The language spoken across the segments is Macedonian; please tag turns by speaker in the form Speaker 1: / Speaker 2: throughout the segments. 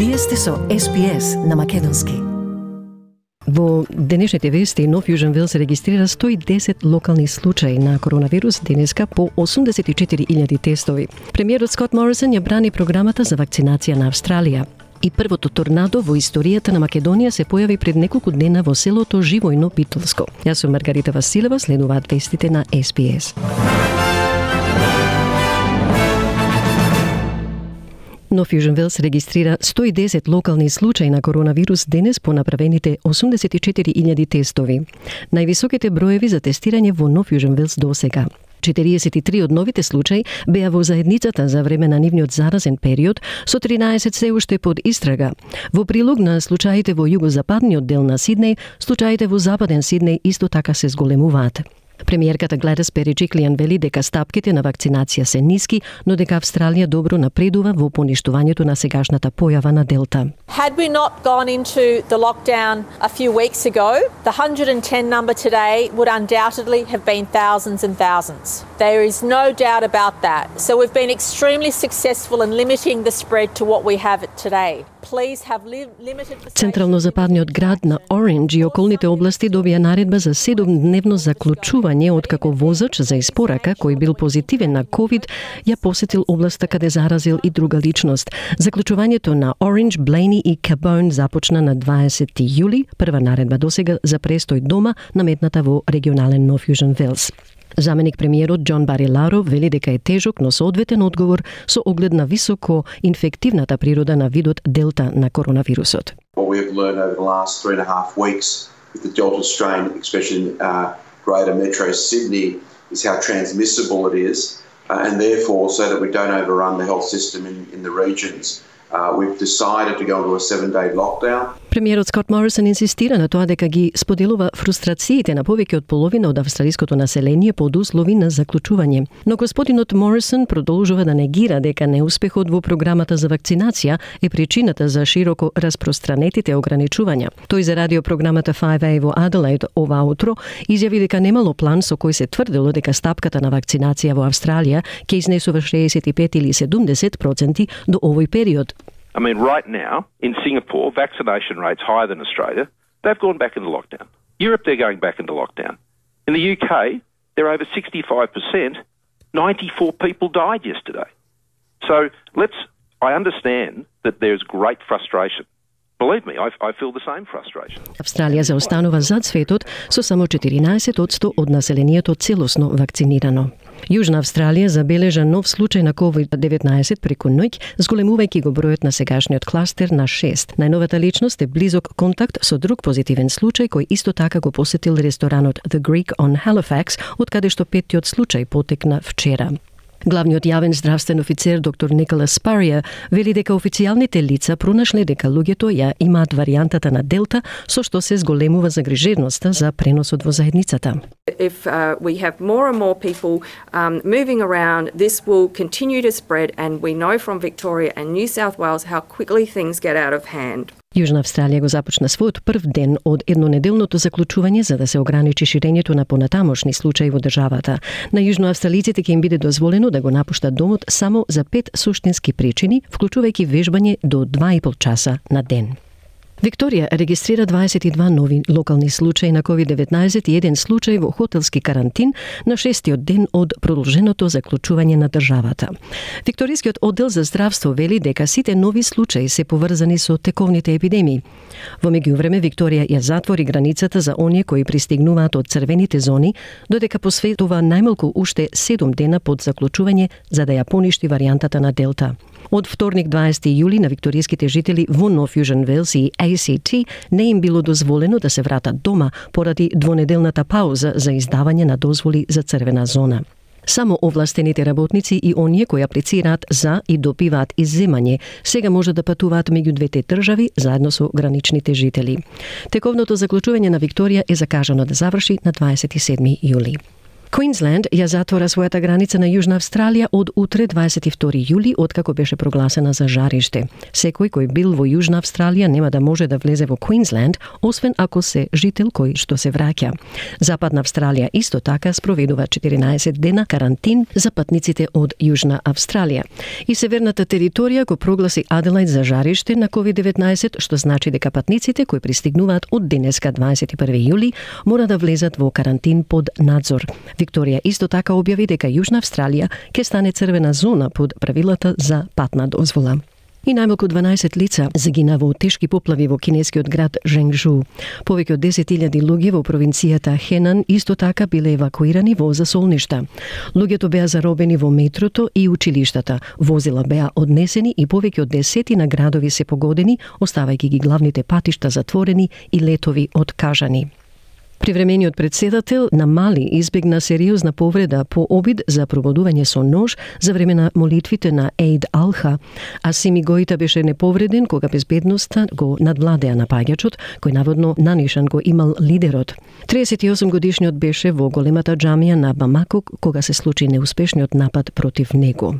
Speaker 1: Вие сте со SPS на македонски.
Speaker 2: Во денешните вести, Нов Јужен Велс регистрира 110 локални случаи на коронавирус денеска по 84.000 тестови. Премиерот Скот Морисон ја брани програмата за вакцинација на Австралија. И првото торнадо во историјата на Македонија се појави пред неколку дена во селото Живојно Битолско. Јас сум Маргарита Василева, следуваат вестите на SPS. Нов Јужен Велс регистрира 110 локални случаи на коронавирус денес по направените 84.000 тестови. Највисоките броеви за тестирање во Нов Јужен Велс досега. 43 од новите случаи беа во заедницата за време на нивниот заразен период, со 13 се уште под истрага. Во прилог на случаите во југозападниот дел на Сиднеј, случаите во западен Сиднеј исто така се зголемуваат. Премиерката Гледис Береджиклијан вели дека стапките на вакцинација се ниски, но дека Австралија добро напредува во поништувањето на сегашната појава на Делта.
Speaker 3: Had we not gone into the lockdown a few weeks ago, the 110 number today would undoubtedly have been thousands and thousands. There is no doubt about that. So we've been extremely successful in limiting the spread to what we have today. Please have limited...
Speaker 2: Централно-западниот град на Ориндж и околните области добија наредба за 7-дневно заклучување откако возач за испорака кој бил позитивен на COVID ја посетил областа каде заразил и друга личност. Заклучувањето на Ориндж, Блейни и Кабон започна на 20 јули, прва наредба досега за престој дома наметната во регионален Нов Јужен Велс. Заменик премиерот Џон Бариларо вели дека е тежок, но соодветен одговор со оглед на високо инфективната природа на видот Делта на коронавирусот.
Speaker 4: What we have learned over the last 3.5 weeks with the Delta strain, especially in greater metro Sydney, is how transmissible it is, and therefore, so that we don't overrun the health system in the regions, we've decided to go into a 7-day lockdown.
Speaker 2: Премиерот Скот Морисон инсистира на тоа дека ги споделува фрустрациите на повеќе од половина од австралиското население под услови на заклучување. Но господинот Морисон продолжува да негира дека неуспехот во програмата за вакцинација е причината за широко распространетите ограничувања. Тој за радиопрограмата 5A во Аделаид ова утро изјави дека немало план со кој се тврдело дека стапката на вакцинација во Австралија ќе изнесува 65 или 70% до овој период.
Speaker 5: I mean, right now, in Singapore, vaccination rates higher than Australia, they've gone back into lockdown. Europe, they're going back into lockdown. In the UK, they're over 65%. 94 people died yesterday. So I understand that there's great frustration. Believe me, I feel the same frustration.
Speaker 2: Австралија заостанува зад светот со само 14% од населението целосно вакцинирано. Јужна Австралија забележа нов случај на COVID-19 преку ноќ, зголемувајќи го бројот на сегашниот кластер на 6. Најновата личност е близок контакт со друг позитивен случај кој исто така го посетил ресторанот The Greek on Halifax, од каде што петтиот случај потекна вчера. Главниот јавен здравствен офицер доктор Николас Спарија вели дека официјалните лица пронашле дека луѓето ја имаат варијантата на Делта, со што се зголемува загрижеността за преносот во заедницата.
Speaker 6: If we have more and more people moving around, this will continue to spread, and we know from Victoria and New South Wales how quickly things get out of hand.
Speaker 2: Јужна Австралија го започна својот прв ден од еднонеделното заклучување за да се ограничи ширењето на понатамошни случаи во државата. На јужноавстралиците ќе им биде дозволено да го напуштат домот само за 5 суштински причини, вклучувајќи вежбање до 2,5 часа на ден. Викторија регистрира 22 нови локални случаи на COVID-19 и еден случај во хотелски карантин на 6-тиот ден од продолженото заклучување на државата. Викторискиот оддел за здравство вели дека сите нови случаи се поврзани со тековните епидемии. Во меѓувреме Викторија ја затвори границата за оние кои пристигнуваат од црвените зони, додека посветува најмалку уште 7 дена под заклучување за да ја поништи варијантата на Делта. Од вторник 20 јули на викториските жители во Нов Јужен Велс и ACT не им било дозволено да се вратат дома поради двонеделната пауза за издавање на дозволи за црвена зона. Само овластените работници и оние кои аплицираат за и добиваат изземање сега може да патуваат меѓу двете држави заедно со граничните жители. Тековното заклучување на Викторија е закажано да заврши на 27 јули. Queensland ја затвора својата граница на Јужна Австралија од утре 22 јули, откако беше прогласена за жариште. Секој кој бил во Јужна Австралија нема да може да влезе во Queensland, освен ако се жител кој што се враќа. Западна Австралија исто така спроведува 14 дена карантин за патниците од Јужна Австралија. И северната територија го прогласи Аделајд за жариште на COVID-19, што значи дека патниците кои пристигнуваат од денеска 21 јули мора да влезат во карантин под надзор. Викторија исто така објави дека Јужна Австралија ќе стане црвена зона под правилата за патна дозвола. И најмалку 12 лица загина во тешки поплави во кинескиот град Женгжу. Повеќе од 10.000 луѓе во провинцијата Хенан исто така биле евакуирани во засолништа. Луѓето беа заробени во метрото и училиштата. Возила беа однесени и повеќе од 10 градови се погодени, оставајќи ги главните патишта затворени и летови откажани. Привремениот председател на Мали избегна сериозна повреда по обид за прободување со нож за време на молитвите на Ейд Алха, а Сими Гојта беше неповреден кога безбедноста го надвладеа напаѓачот, кој наводно нанишан го имал лидерот. 38 годишниот беше во големата џамија на Бамако кога се случи неуспешниот напад против него.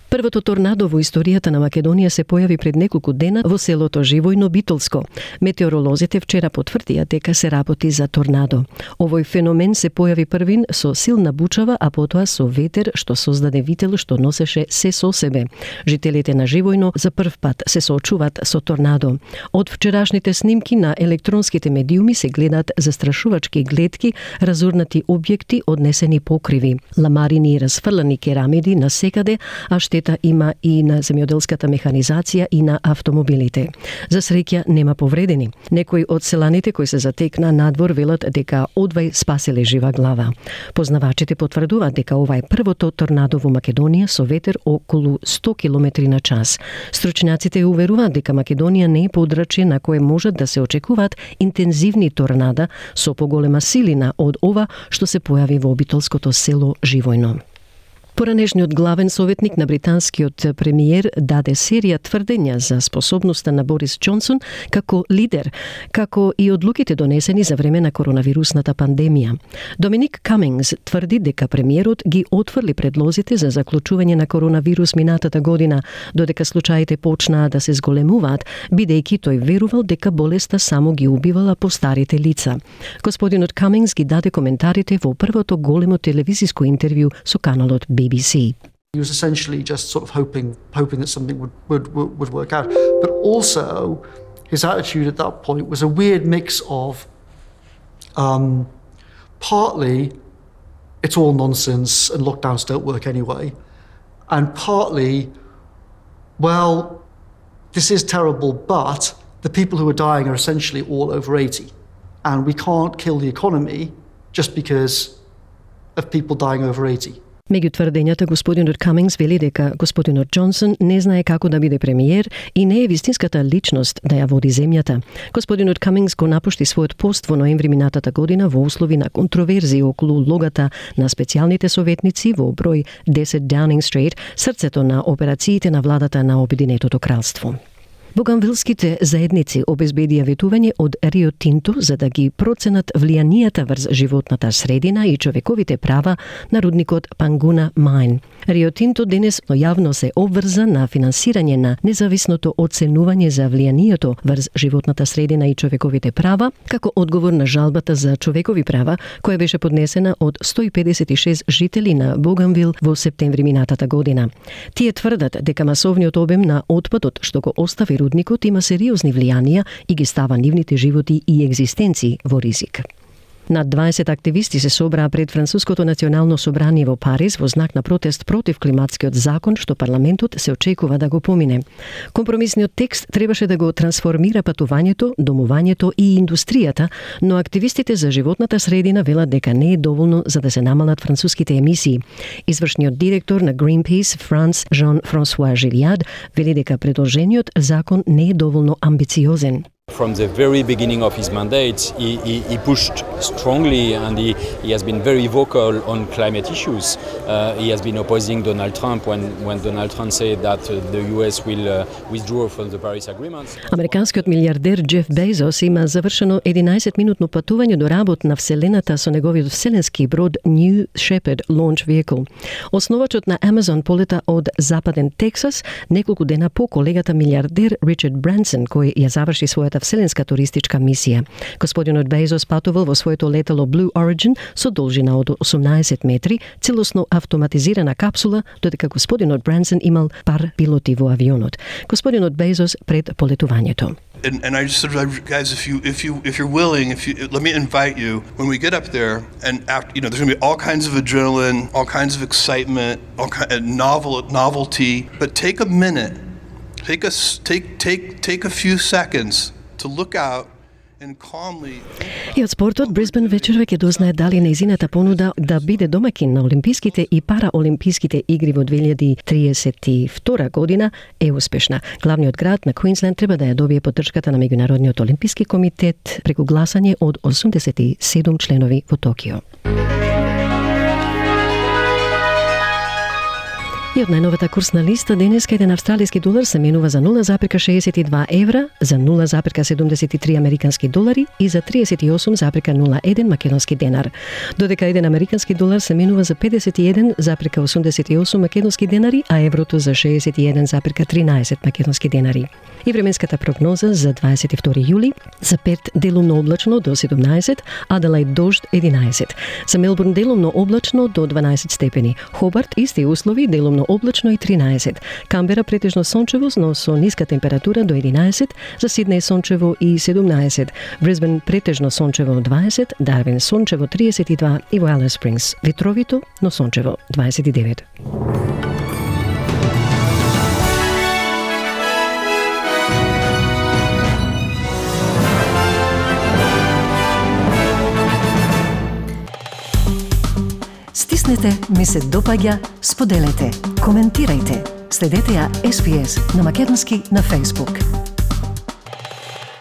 Speaker 2: Првото торнадо во историјата на Македонија се појави пред неколку дена во селото Живојно Битолско. Метеоролозите вчера потврдија дека се работи за торнадо. Овој феномен се појави првин со силна бучава, а потоа со ветер што создаде вител што носеше се со себе. Жителите на Живојно за прв пат се соочуваат со торнадо. Од вчерашните снимки на електронските медиуми се гледаат застрашувачки гледки, разурнати објекти, однесени покриви, ламарини и расфрлани керамиди насекаде, а штета има и на земјоделската механизација и на автомобилите. За среќа нема повредени. Некои од селаните кои се затекна надвор велат дека одвај спаселе жива глава. Познавачите потврдуваат дека ова е првото торнадо во Македонија со ветер околу 100 км на час. Стручњаците уверуваат дека Македонија не е подрачје на кое можат да се очекуваат интензивни торнада со поголема силина од ова што се појави во битолското село Живојно. Поранешниот главен советник на британскиот премиер даде серија тврдења за способноста на Борис Џонсон како лидер, како и одлуките донесени за време на коронавирусната пандемија. Доминик Камингс тврди дека премиерот ги отфрли предлозите за заклучување на коронавирус минатата година, додека случаите почнаа да се зголемуваат, бидејќи тој верувал дека болеста само ги убивала постарите лица. Господинот Камингс ги даде коментарите во првото големо телевизиско интервју со каналот BBC.
Speaker 7: He was essentially just sort of hoping that something would work out. But also, his attitude at that point was a weird mix of partly it's all nonsense and lockdowns don't work anyway, and partly, well, this is terrible, but the people who are dying are essentially all over 80, and we can't kill the economy just because of people dying over 80.
Speaker 2: Меѓу тврдењата, господинот Камингс вели дека господинот Џонсон не знае како да биде премиер и не е вистинската личност да ја води земјата. Господинот Камингс го напушти својот пост во ноември минатата година во услови на контроверзии околу улогата на специјалните советници во број 10 Downing Street, срцето на операциите на владата на Обединетото кралство. Буганвилските заедници обезбедија ветување од Рио Тинто за да ги проценат влијанијата врз животната средина и човековите права на рудникот Пангуна Мајн. Рио Тинто денес јавно се обврза на финансирање на независното оценување за влијанието врз животната средина и човековите права, како одговор на жалбата за човекови права, која беше поднесена од 156 жители на Буганвил во септември минатата година. Тие тврдат дека масовниот обем на отпадот што го остави рудникот има сериозни влијанија и ги става нивните животи и екзистенции во ризик. Над 20 активисти се собраа пред Француското национално собрание во Париз во знак на протест против климатскиот закон што парламентот се очекува да го помине. Компромисниот текст требаше да го трансформира патувањето, домувањето и индустријата, но активистите за животната средина велат дека не е доволно за да се намалат француските емисии. Извршниот директор на Greenpeace, Франс Жан-Франсуа Жилиад, вели дека предложениот закон не е доволно амбициозен.
Speaker 8: from the very beginning of his mandate, he pushed strongly, and he has been very vocal on climate issues. He has been opposing Donald Trump when Donald Trump said that the US will withdraw from the Paris Agreement.
Speaker 2: Американскиот милиардер Джеф Безос има завршено 11-минутно патување до работ на Вселената со неговиот вселенски брод New Shepard Launch Vehicle. Основачот на Amazon полета од западен Тексас неколку дена по колегата милиардер Ричард Бренсон, кој ја заврши својата вселенска туристичка мисија. Господинот Безос патувал во своето летало Blue Origin со должина од 18 метри, целосно автоматизирана капсула, додека господинот Бренсон имал пар пилоти во авионот. Господинот Безос пред полетувањето.
Speaker 9: And I just said, guys, if you're willing, let me invite you when we get up there, and after, there's going to be all kinds of adrenaline, all kinds of excitement, all kind of novelty. But take a minute, take a few seconds to look out.
Speaker 2: И од спортот, Брисбен вечерва ќе дознае дали нејзината понуда да биде домакин на Олимписките и Параолимписките игри во 2032 година е успешна. Главниот град на Квинсленд треба да ја добие поддршката на Меѓународниот олимписки комитет преку гласање од 87 членови во Токио. И од најновата курсна листа денеска еден австралиски долар се менува за 0,62 евра, за 0,73 американски долари и за 38,01 македонски денар. Додека еден американски долар се менува за 51,88 македонски денари, а еврото за 61,13 македонски денари. И временската прогноза за 22 јули, за Перт делумно облачно до 17, Аделаид дожд 11, за Мелбурн делумно облачно до 12 степени, Хобарт исти услови делумно облачно и 13, Камбера претежно сончево, но со ниска температура до 11, за Сиднеј сончево и 17, Брисбен претежно сончево 20, Дарвин сончево 32 и во Алис Спрингс ветровито, но сончево 29.
Speaker 1: Стиснете, ми се допаѓа, споделете, коментирајте. Следете ја SPS на Македонски на Facebook.